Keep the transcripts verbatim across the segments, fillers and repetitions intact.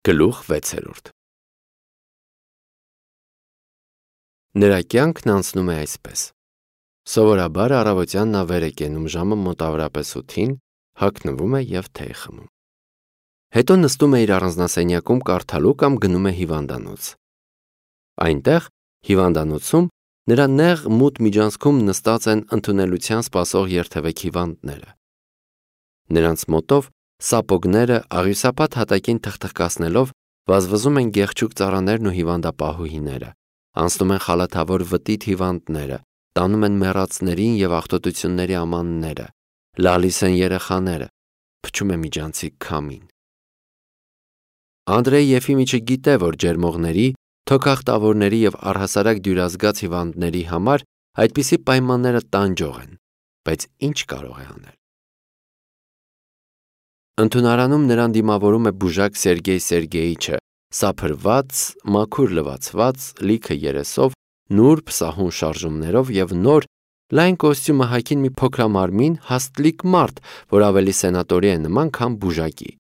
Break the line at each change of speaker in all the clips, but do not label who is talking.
Գլուխ վեցերորդ Նրա կյանքն անցնում է այսպես. Սովորաբար առավոտյան նա վեր է կենում ժամը մոտավորապես ութին, հագնվում է և թեյ խմում։ Հետո նստում է իր առանձնասենյակում կարդալու կամ գնում է հիվանդանոց։ Այնտեղ, հիվանդանոցում, նրա նեղ մութ միջանցքում նստած են ընդունելության սպասող երթևեք հիվանդները։ Նրանց մոտով սապոգները աղյուսապատ հատակին թխթխկացնելով վազվզում են գեղջուկ ծառաներն ու հիվանդապահուհիները, անցնում են խալաթավոր վտիտ հիվանդները, տանում են մեռածներին և աղտոտությունների ամանները, լալիս են երեխաները, փչում է միջանցիկ քամին։ Անդրեյ Եֆիմիչը գիտե, որ ջերմողների, թոքախտավորների և առհասարակ դյուրազգաց հիվանդների համար այդպիսի պայմանները տանջող են, բայց ինչ կարող է անել։ Ընդունարանում նրան դիմավորում է բուժակ Սերգեյ Սերգեյիչը, սափրված, մաքուր լվացված, լիքը երեսով, նուրբ սահուն շարժումներով և նոր, լայն կոստյումը հագին մի փոքրամարմին, հաստլիկ մարդ, որ ավելի սենատորի է նման, քան բուժակի։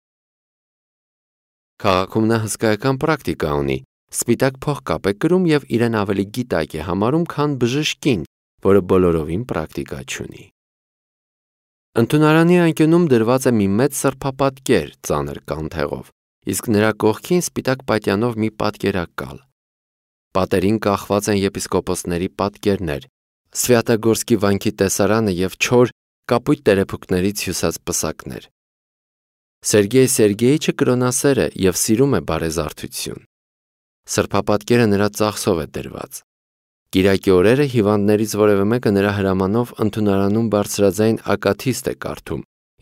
Քաղաքում նա հսկայական պրակտիկա ունի, սպիտակ փողկապ է կրում և իրեն ավելի գիտակ է համարում, քան բժշկին, որը բոլորովին պրակտիկա չունի։ Ընդունարանի անկյունում դրված է մի մեծ սրբապատկեր ծանր կանթեղով, իսկ նրա կողքին սպիտակ պատյանով մի պատկերակալ։ Պատերին կախված են եպիսկոպոսների պատկերներ, Սվյատագորսկի վանքի տեսարանը և չոր կապույտ տերեփուկներից հյուսած պսակներ։ Սերգեյ Սերգեյիչը կրոնասեր է և սիրում է բարեզարդություն։ Սրբապատկերը նրա ծախսով է դրված։ Կիրակի օրերը հիվանդներից որևէ մեկը նրա հրամանով ընդունարանում բարձրաձայն ակաթիստ է կարդում,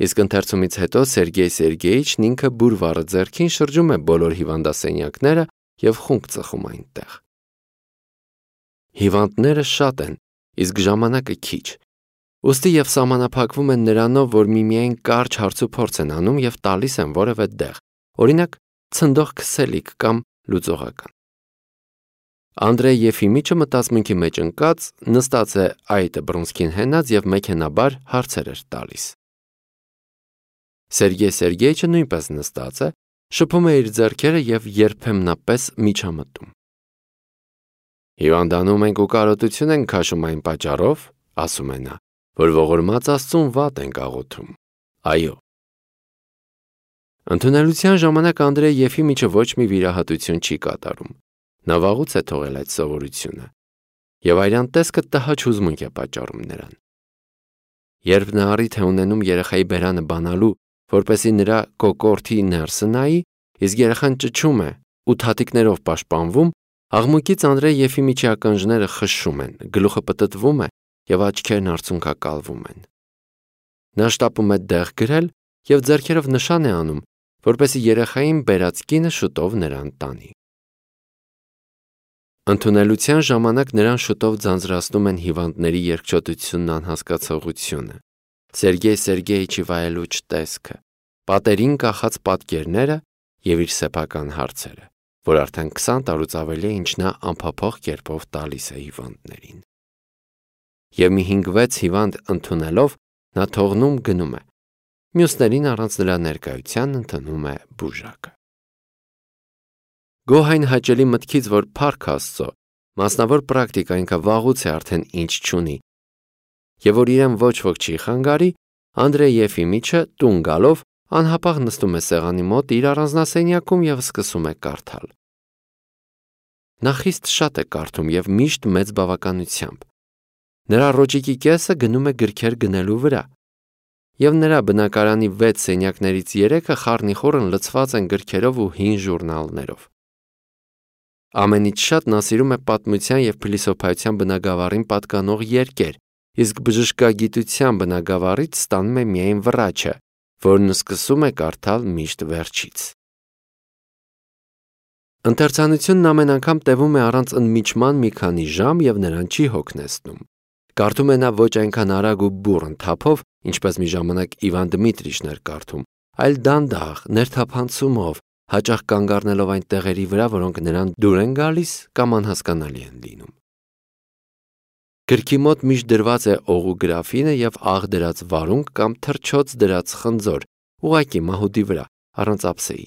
իսկ ընթերցումից հետո Սերգեյ Սերգեյիչն ինքը բուրվառը ձեռքին շրջում է բոլոր հիվանդասենյակները և խունկ ծխում այնտեղ։ Հիվանդները շատ են, իսկ ժամանակը քիչ, ուստի և սահմանափակվում են նրանով, որ միմիայն կարճ հարցուփորձ են անում և տալիս են որևէ դեղ, օրինակ ցնդող քսելիք կամ լուծողական։ Անդրեյ Եֆիմիչը մտածմունքի մեջ ընկած նստած է այտը բռունցքին հենած և մեքենաբար հարցեր էր տալիս։ Սերգեյ Սերգեյիչը նույնպես նստած է, շփում է իր ձեռքերը և երբեմնապես միջամտում։ Հիվանդանում ենք ու կարոտություն ենք քաշում այն պատճառով, ասում է նա, որ ողորմած Աստծուն վատ ենք աղոթում։ Այո։ Ընդունելության ժամանակ Անդրեյ Եֆիմիչը ոչ մի վիրահատություն չի կատարում։ Նա վաղուց է թողել այդ սովորությունը, և այրան տեսքը տհաճ հուզմունք է պատճառում նրան։ Երբ նա առիթ է ունենում երեխայի բերանը բանալու, որպեսզի նրա կոկորդի ներսը նայի, իսկ երեխան ճչում է ու թաթիկներով պաշտպանվում, աղմուկից Անդրեյ Եֆիմիչի ականջները խշշում են, գլուխը պտտվում է և աչքերն արցունքակալվում են։ Նա շտապում է դեղ գրել և ձեռքերով նշան է անում, որպեսզի երեխային բերած կինը շուտով նրան տանի։ Ընդունելության ժամանակ նրան շուտով ձանձրացնում են հիվանդների երկչոտությունն անհասկացողությունը, Սերգեյ Սերգեյիչի վայելուչ տեսքը, պատերին կախած պատկերները և իր սեփական հարցերը, որ արդեն քսան տարուց ավելի է, ինչ նա անփափոխ կերպով տալիս է հիվանդներին։ Եվ մի հինգ-վեց հիվանդ ընդունելով, նա թողնում գնում է, մյուսներին առանց նրա ներկայության ընդունում է բուժակը։ Գոհ այն հաճելի մտքից, որ փառք Աստծո, մասնավոր պրակտիկա ինքը վաղուց է արդեն ինչ չունի, և որ իրեն ոչ ոք չի խանգարի, Անդրեյ Եֆիմիչը տուն գալով անհապաղ նստում է սեղանի մոտ իր առանձնասենյակում և սկսում է կարդալ։ Նա խիստ շատ է կարդում և միշտ մեծ բավականությամբ։ Նրա ռոճիկի կեսը գնում է գրքեր գնելու վրա, և նրա բնակարանի վեց սենյակներից երեքը խառնիխուռն լցված են գրքերով ու հին ժուրնալներով։ Ամենից շատ նա սիրում է պատմության և փիլիսոփայության բնագավառին պատկանող երկեր, իսկ բժշկագիտության բնագավառից ստանում է միայն վրաչը, որն սկսում է կարդալ միշտ վերջից։ Ընթերցանությունն ամեն անգամ տևում է առանց ընդմիջման մի քանի ժամ և նրան չի հոգնեցնում։ Կարդում է նա ոչ այնքան արագ ու բուռն թափով, ինչպես մի ժամանակ Իվան Դմիտրիչն էր կարդում, այլ դանդաղ, ներթափանցումով, հաճախ կանգ առնելով այն տեղերի վրա, որոնք նրան դուր են գալիս կամ անհասկանալի են լինում։ Գրքի մոտ միշտ դրված է օղու գրաֆինը և աղ դրած վարունգ կամ թռչոց դրած խնձոր, ուղղակի մահուդի վրա, առանց ափսեի։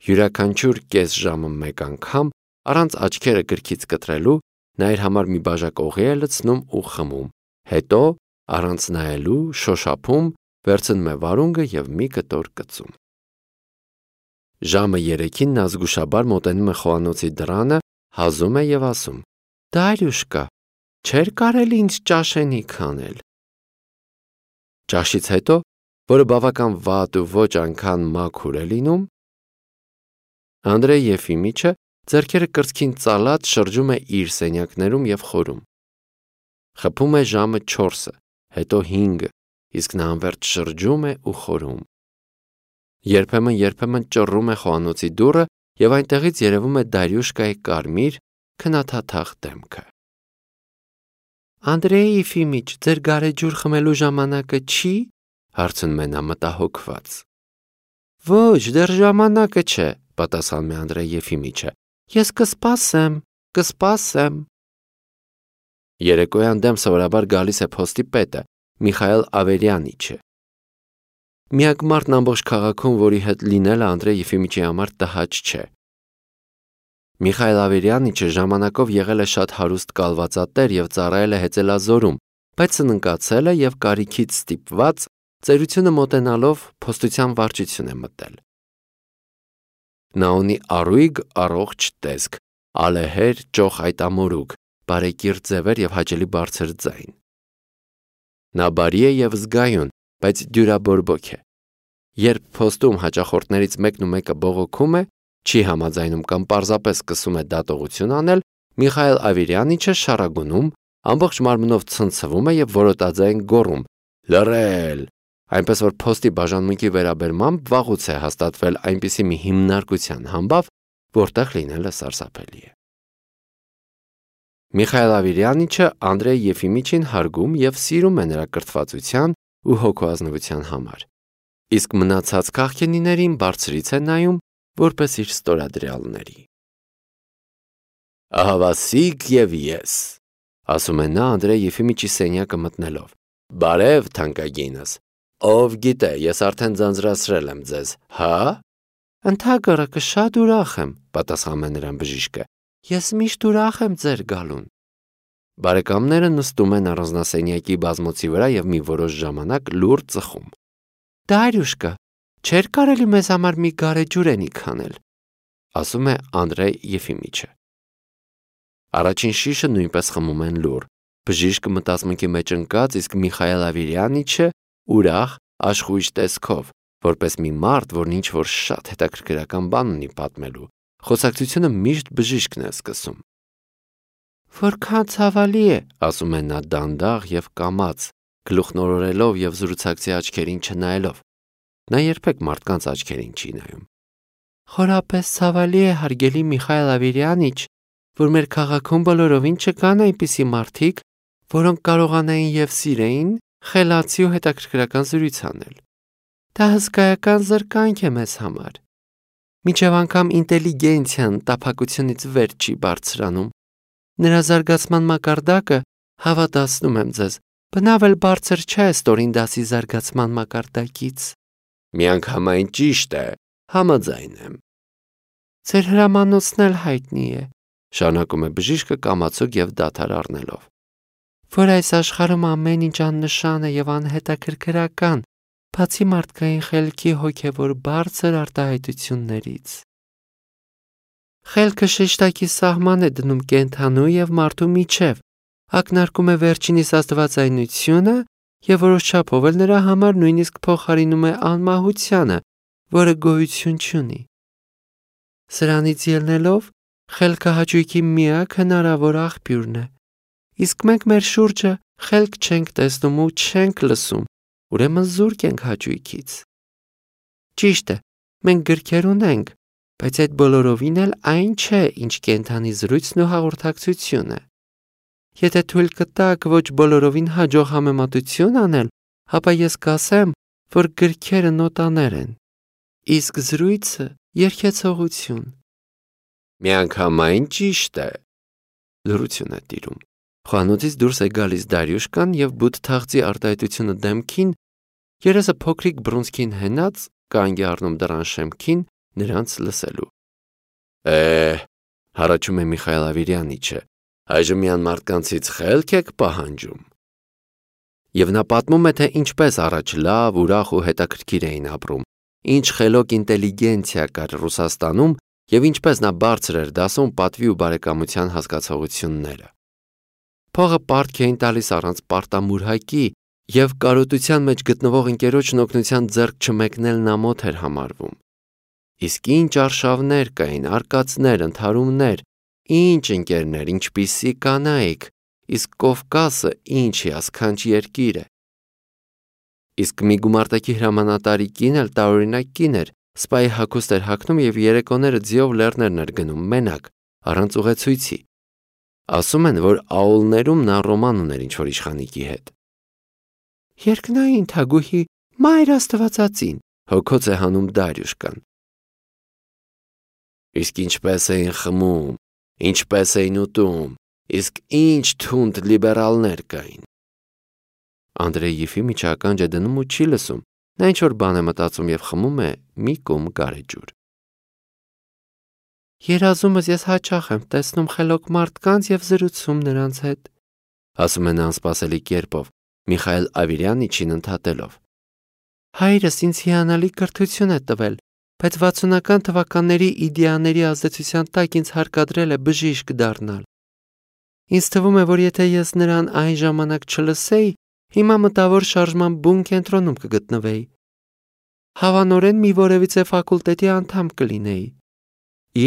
Յուրաքանչյուր կես ժամը մեկ անգամ, առանց աչքերը գրքից կտրելու, նա իր համար մի բաժակ օղի է լցնում ու խմում, հետո առանց նայելու շոշափում, վերցնում է վարունգը և մի կտոր կծում։ Ժամը երեքին նա զգուշաբար մոտենում է խոհանոցի դռանը, հազում է և ասում. «Դարյուշկա, չէր կարելի ինձ ճաշենիկ անել»։ Ճաշից հետո, որը բավական վատ ու ոչ այնքան մաքուր է լինում, Անդրեյ Եֆիմիչը ձեռքերը կրծքին ծալած շրջում է իր սենյակներում և խորում։ Խփում է ժամը չորսը, հետո հինգը, իսկ նա անվերջ շրջում է ու խորում։ Երբեմն-երբեմն ճռռում է խոհանոցի դուռը և այնտեղից երևում է Դարյուշկայի կարմիր, քնաթաթախ դեմքը։ «Անդրեյ Եֆիմիչ, ձեր գարեջուր խմելու ժամանակը չի»։ Հարցնում է նա մտահոգված։ «Ոչ, դեռ ժամանակը չէ», պատասխանում է Անդրեյ Եֆիմիչը։ «Ես կսպասեմ, կսպասեմ»։ Երեկոյան դեմ սովորաբար գալիս է փոստի պետը, Միխայել Ավերյանիչը։ Միակ մարդն ամբողջ քաղաքում, որի հետ լինելը Անդրեյ Եֆիմիչի համար տհաճ չէ։ Միխայել Ավերյանիչը ժամանակով եղել է շատ հարուստ կալվածատեր և ծառայել է Հեծելազորում, բայց սննկացել է և կարիքից ստիպված, ծերությունը մոտենալով փոստության վարչություն է մտել։ Նա ունի առույգ առողջ տեսք, ալեհեր ճոխ այտամորուք, բարեկիրթ ձևեր և հաճելի բարձր ձայն։ Նա բարի է և զգայուն, բայց դյուրաբորբոք է։ Երբ փոստում հաճախորդներից մեկն ու մեկը բողոքում է, չի համաձայնում կամ պարզապես սկսում է դատողություն անել, Միխայել Ավերյանիչը շառագունում, ամբողջ մարմնով ցնցվում է և որոտաձայն գոռում. «Լռել»։ Այնպես որ փոստի բաժանմունքի վերաբերմամբ վաղուց է հաստատվել այնպիսի մի հիմնարկության համբավ, որտեղ լինելը սարսափելի է։ Միխայել Ավերյանիչը Անդրեյ Եֆիմիչին հարգում և սիրում է նրա կրթվածության ու հոգուազնվության համար, իսկ մնացած քաղքենիներին բարձրից է նայում, որպես իր ստորադրյալների։ «Ահավասիկ և ես», ասում է նա Անդրեյ Եֆիմիչի սենյակը մտնելով։ «Բարև, թանկագինս, ով գիտե, ես արդեն ձանձրացրել եմ ձեզ, հա՞։ «Ընդհակառակը շատ ուրախ եմ», պատասխանում է նրան բժիշկը։ «Ես միշտ ուրախ եմ ձեր գալուն»։ Բարեկամները նստում են առանձնասենյակի բազմոցի վրա և մի որոշ ժամանակ լուռ ծխում։ «Դարյուշկա, չէր կարելի մեզ համար մի գարեջուրենիկ անել», ասում է Անդրեյ Եֆիմիչը։ Առաջին շիշը նույնպես խմում են լուռ։ Բժիշկը մտածմունքի մեջ ընկած, իսկ Միխայել Ավերյանիչը ուրախ, աշխույժ տեսքով, որպես մի մարդ, որն ինչ-որ շատ հետաքրքրական բան ունի պատմելու։ Խոսակցությունը միշտ բժիշկն է սկսում։ «Որքան ցավալի է», ասում է նա դանդաղ և կամաց, գլուխնորորելով և զրուցակցի աչքերին չնայելով։ Նա երբեք մարդկանց աչքերին չի նայում։ «Խորապես ցավալի է, հարգելի Միխայել Ավերյանիչ, որ մեր քաղաքում բոլորովին չկան այնպիսի մարդիկ, որոնք կարողանային և սիրեին խելացի ու հետաքրքրական զրույց անել։ Դա հսկայական զրկանք է մեզ համար։ Մինչև անգամ ինտելիգենցիան տափակությունից վեր չի բարձրանում։ Նրա զարգացման մակարդակը, հավատացնում եմ ձեզ, բնավ էլ բարձր չէ ստորին դասի զարգացման մակարդակից»։ «Միանգամայն ճիշտ է, համաձայն եմ»։ «Ձեր հրամանոցն էլ հայտնի է», շարունակում է բժիշկը կամացուկ և դադար առնելով, «որ այս աշխարհում ամեն ինչ աննշան է և անհետաքրքրական, բացի մարդկային խելքի հոգևոր բարձր արտահայտություններից։ Խելքը շեշտակի սահման է դնում կենդանու և մարդու միջև, ակնարկում է վերջինիս աստվածայնությունը և որոշ չափով էլ նրա համար նույնիսկ փոխարինում է անմահությանը, որը գոյություն չունի։ Սրանից ելնելով, խելքը հաճույքի միակ հնարավոր աղբյուրն է, իսկ մենք մեր շուրջը խելք չենք տեսնում ու չենք լսում, ուրեմն զուրկ ենք հաճույքից։ Ճիշտ է, մենք գրքեր ունենք, բայց այդ բոլորովին էլ այն չէ, ինչ կենդանի զրույցն ու հաղորդակցությունը։ Եթե թույլ կտաք ոչ բոլորովին հաջող համեմատություն անել, ապա ես կասեմ, որ գրքերը նոտաներ են, իսկ զրույցը երգեցողություն։ «Միանգամայն ճիշտ է»։ Լռություն է տիրում։ Խոհանոցից դուրս է գալիս Դարյուշկան և բութ թախծի արտահայտությունը դեմքին, երեսը փոքրիկ բռունցքին հենած, կանգ է առնում դռան շեմքին, նրանց լսելու։ Է, հարաճում է Միխայել Ավիրյանիչը, այժմ միան մարդկանցից խելք եք պահանջում։ Եվ նա պատմում է, թե ինչպես առաջ լավ, ուրախ ու հետաքրքիր էին ապրում, ինչ խելոք ինտելիգենցիա կար Ռուսաստանում և ինչպես նա բարձր էր դասում պատվի ու բարեկամության հասկացողությունները։ Փողը պարտք էին տալիս առանց պարտամուրհակի և կարոտության մեջ գտնվող ընկերոջն օգնության ձեռք չմեկնելն ամոթ էր համարվում։ Իսկ ինչ արշավներ կային, արկածներ, ընդհարումներ, ինչ ընկերներ, ինչպիսի կանայք, իսկ Կովկասը ինչ հիասքանչ երկիր է։ Իսկ մի գումարտակի հրամանատարի կին էլ տարօրինակ կին էր, սպայի հագուստ էր հագնում և երեկոները ձիով լեռներն էր գնում մենակ, առանց ուղեցույցի։ Ասում են, որ աուլներում նա ռոման ուներ ինչ-որ իշխանիկի հետ։ Երկնային թագուհի Մայր Աստվածածին, հոգոց է հանում Դարյուշկան։ Իսկ ինչպես էին խմում, ինչպես էին ուտում, իսկ ինչ թունդ լիբերալներ կային։ Անդրեյ Եֆիմիչը ականջ է դնում ու չի լսում, նա ինչ-որ բան է մտածում և խմում է մի կում գարեջուր։ Երազումս ես հաճախ եմ տեսնում խելոք մարդկանց և զրուցում նրանց հետ, ասում է նա անսպասելի կերպով, Միխայել Ավիրյանիչին ընդհատելով։ Հայրս ինձ հիանալի կրթություն է տվել, բայց վաթսունական թվականների իդեաների ազդեցության տակ ինձ հարկադրել է բժիշկ դառնալ։ Ինձ թվում է, որ եթե ես նրան այն ժամանակ չլսեի, հիմա մտավոր շարժման բուն կենտրոնում կգտնվեի։ Հավանորեն մի որևիցե ֆակուլտետի անդամ կլինեի։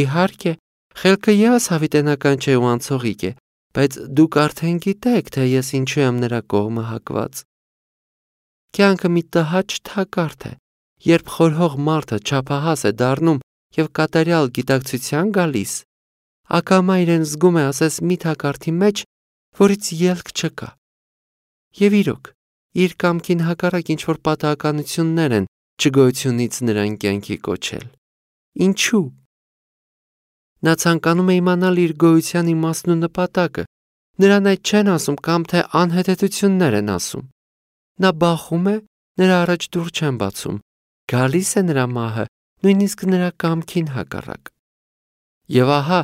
Իհարկե, խելքը ևս հավիտենական չէ ու անցողիկ է, բայց դուք արդեն գիտեք, թե ես ինչու եմ նրա կողմը հակված։ Կյանքը մի տհաճ թակարդ է, երբ խորհող մարդը չափահաս է դառնում և կատարյալ գիտակցության գալիս, ակամա իրեն զգում է ասես մի թակարդի մեջ, որից ելք չկա։ Եվ իրոք, իր կամքին հակառակ ինչ-որ պատահականություններ են չգոյությունից նրան կյանքի կոչել։ Ինչու՞։ Նա ցանկանում է իմանալ իր գոյության իմաստն ու նպատակը, նրան այդ չեն ասում կամ թե անհետեթություններ են ասում։ Նա բախում է, նրա առաջ դուռ չեն բացում, գալիս է նրա մահը, նույնիսկ նրա կամքին հակառակ։ Եվ ահա,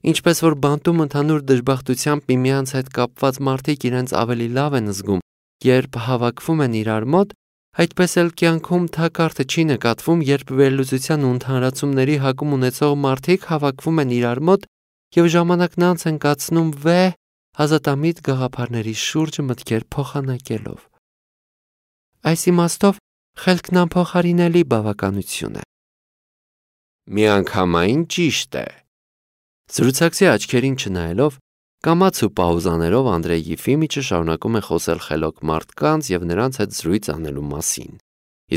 ինչպես որ բանտում ընդհանուր դժբախտությամբ միմյանց հետ կապված մարդիկ իրենց ավելի լավ են զգում, երբ հավաքվում են իրար մոտ, այդպես էլ կյանքում թակարդը չի նկատվում, երբ վերլուծության ու ընդհանրացումների հակում ունեցող մարդիկ հավաքվում են իրար մոտ և ժամանակն անց են կացնում վեհ, ազատամիտ գաղափարների շուրջ մտքեր փոխանակելով։ Այս իմաստով խելքն անփոխարինելի բավականություն է։ Միանգամայն ճիշտ է։ Զրուցակցի աչքերին չնայելով, կամաց ու պաուզաներով Անդրեյ Եֆիմիչը շարունակում է խոսել խելոք մարդկանց և նրանց հետ զրույց անելու մասին,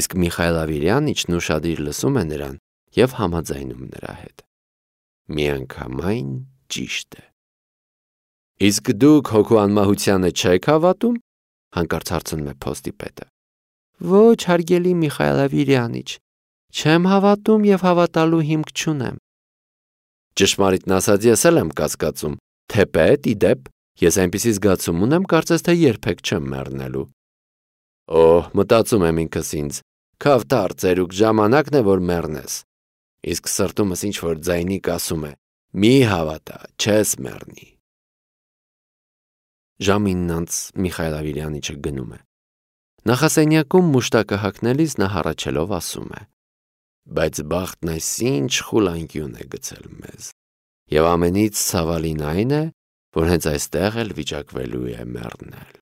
իսկ Միխայել Ավիրյանիչն ուշադիր լսում է նրան և համաձայնում նրա հետ։ Միանգամայն ճիշտ է։ Իսկ դուք հոգու անմահությանը չեք հավատում, հանկարծ հարցնում է փոստի պետը։ Ոչ, հարգելի Միխայել Ավիրյանիչ, չեմ հավատում և հավատալու հիմք չունեմ։ Ճշմարիտն ասած, ես էլ եմ կասկածում, թեպետ, ի դեպ, ես այնպիսի զգացում ունեմ, կարծես թե երբեք չեմ մեռնելու։ Օհ, մտածում եմ ինքս ինձ, քավթար ծերուկ ժամանակն է, որ մեռնես։ Իսկ սրտումս ինչ-որ ձայնիկ ասում է. մի հավատա, չես մեռնի։ Ժամին անց Միխայել Ավիրյանիչը գնում է։ Նախասենյակում մուշտակը հագնելիս նա հառաչելով ասում է. Բայց բախտն այսինչ խուլանկյուն է գցել մեզ։ Եվ ամենից ցավալին այն է, որ հենց այստեղ էլ վիճակվելու է մեռնել։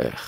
Էխ,